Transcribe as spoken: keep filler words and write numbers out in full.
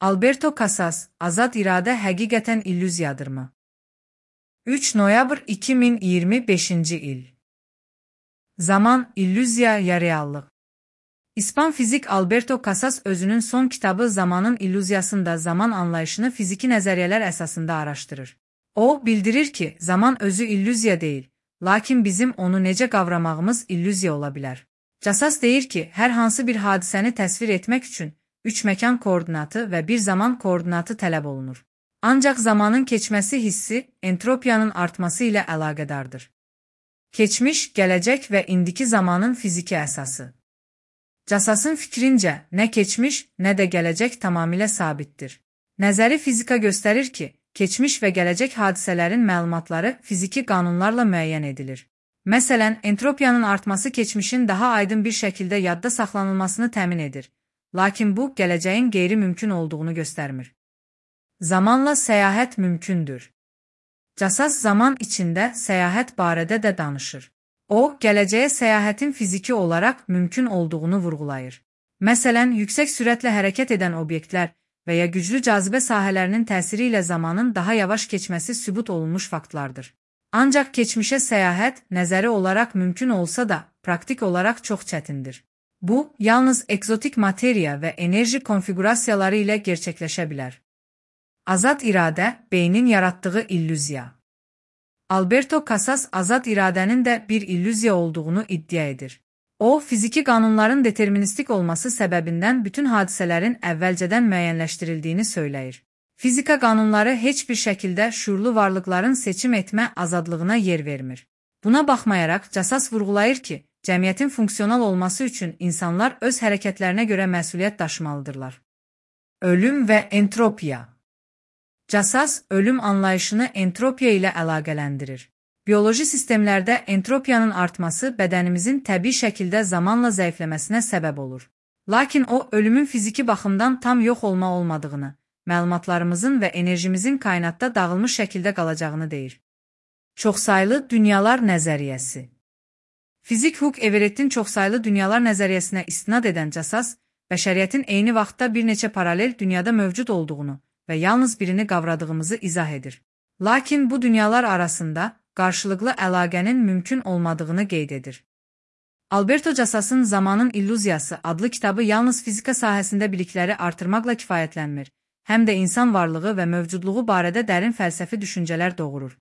Alberto Casas, azad iradə həqiqətən illüziyadırmı? üç noyabr iki min iyirmi beşinci il. Zaman, illüziya ya reallıq. İspan fizik Alberto Casas özünün son kitabı Zamanın illüziyasında zaman anlayışını fiziki nəzəriyyələr əsasında araşdırır. O, bildirir ki, zaman özü illüziya deyil, lakin bizim onu necə qavramağımız illüziya ola bilər. Casas deyir ki, hər hansı bir hadisəni təsvir etmək üçün üç məkan koordinatı və bir zaman koordinatı tələb olunur. Ancaq zamanın keçməsi hissi, entropiyanın artması ilə əlaqədardır. Keçmiş, gələcək və indiki zamanın fiziki əsası. Casasın fikrincə, nə keçmiş, nə də gələcək tamamilə sabitdir. Nəzəri fizika göstərir ki, keçmiş və gələcək hadisələrin məlumatları fiziki qanunlarla müəyyən edilir. Məsələn, entropiyanın artması keçmişin daha aydın bir şəkildə yadda saxlanılmasını təmin edir. Lakin bu, gələcəyin qeyri-mümkün olduğunu göstərmir. Zamanla səyahət mümkündür. Casas zaman içində səyahət barədə də danışır. O, gələcəyə səyahətin fiziki olaraq mümkün olduğunu vurğulayır. Məsələn, yüksək sürətlə hərəkət edən obyektlər və ya güclü cazibə sahələrinin təsiri ilə zamanın daha yavaş keçməsi sübut olunmuş faktlardır. Ancaq keçmişə səyahət nəzəri olaraq mümkün olsa da, praktik olaraq çox çətindir. Bu, yalnız ekzotik materiya və enerji konfigurasiyaları ilə gerçəkləşə bilər. Azad iradə, beynin yaratdığı illüziya. Alberto Casas azad iradənin də bir illüziya olduğunu iddia edir. O, fiziki qanunların deterministik olması səbəbindən bütün hadisələrin əvvəlcədən müəyyənləşdirildiyini söyləyir. Fizika qanunları heç bir şəkildə şuurlu varlıqların seçim etmə azadlığına yer vermir. Buna baxmayaraq, Casas vurğulayır ki, cəmiyyətin funksional olması üçün insanlar öz hərəkətlərinə görə məsuliyyət daşımalıdırlar. Ölüm və entropiya. Casas, ölüm anlayışını entropiya ilə əlaqələndirir. Bioloji sistemlərdə entropiyanın artması bədənimizin təbii şəkildə zamanla zəifləməsinə səbəb olur. Lakin o, ölümün fiziki baxımdan tam yox olma olmadığını, məlumatlarımızın və enerjimizin kainatda dağılmış şəkildə qalacağını deyir. Çoxsaylı dünyalar nəzəriyyəsi. Fizik Hugh Everett'in çoxsaylı dünyalar nəzəriyyəsinə istinad edən Casas, bəşəriyyətin eyni vaxtda bir neçə paralel dünyada mövcud olduğunu və yalnız birini qavradığımızı izah edir. Lakin bu dünyalar arasında qarşılıqlı əlaqənin mümkün olmadığını qeyd edir. Alberto Casas'ın Zamanın illüziyası adlı kitabı yalnız fizika sahəsində bilikləri artırmaqla kifayətlənmir, həm də insan varlığı və mövcudluğu barədə dərin fəlsəfi düşüncələr doğurur.